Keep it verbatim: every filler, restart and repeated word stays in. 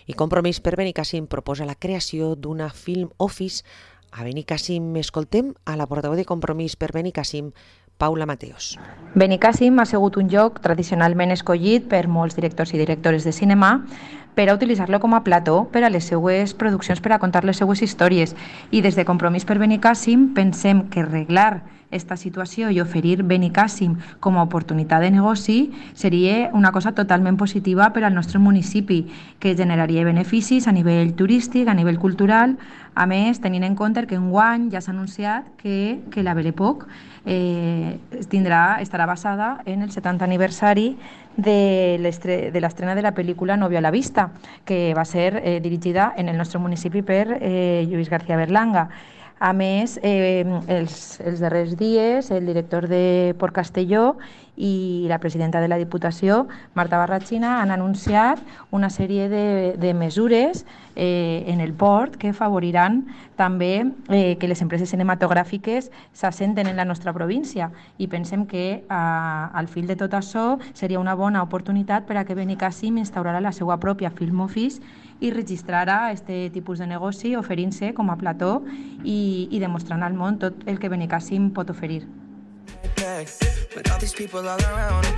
I Compromís per Benicàssim proposa la creació d'una Film Office. A Benicàssim escoltem a la portaveu de Compromís per Benicàssim, Paula Mateos. Benicàssim ha sigut un lloc tradicionalment escollit per molts directors i directores de cinema per a utilitzar-lo com a plató per a les seues produccions, per a contar les seues històries. I des de Compromís per Benicàssim pensem que arreglar esta situació i oferir Benicàssim com a oportunitat de negoci seria una cosa totalment positiva per al nostre municipi, que generaria beneficis a nivell turístic, a nivell cultural. A més, tenint en compte que enguany ja s'ha anunciat que, que la Belle Époque eh, tindrà, estarà basada en el setanta aniversari de l'estrena de la pel·lícula Novio a la vista, que va ser eh, dirigida en el nostre municipi per eh, Lluís García Berlanga. A més, eh, els, els darrers dies, el director de Port Castelló i la presidenta de la Diputació, Marta Barratxina, han anunciat una sèrie de, de mesures eh, en el port que favoriran també eh, que les empreses cinematogràfiques s'assenten en la nostra província, i pensem que a, al fil de tot això seria una bona oportunitat per a que Benicàssim instaurarà la seva pròpia Film Office i registrarà aquest tipus de negoci oferint-se com a plató i, i demostrant al món tot el que Benicàssim pot oferir.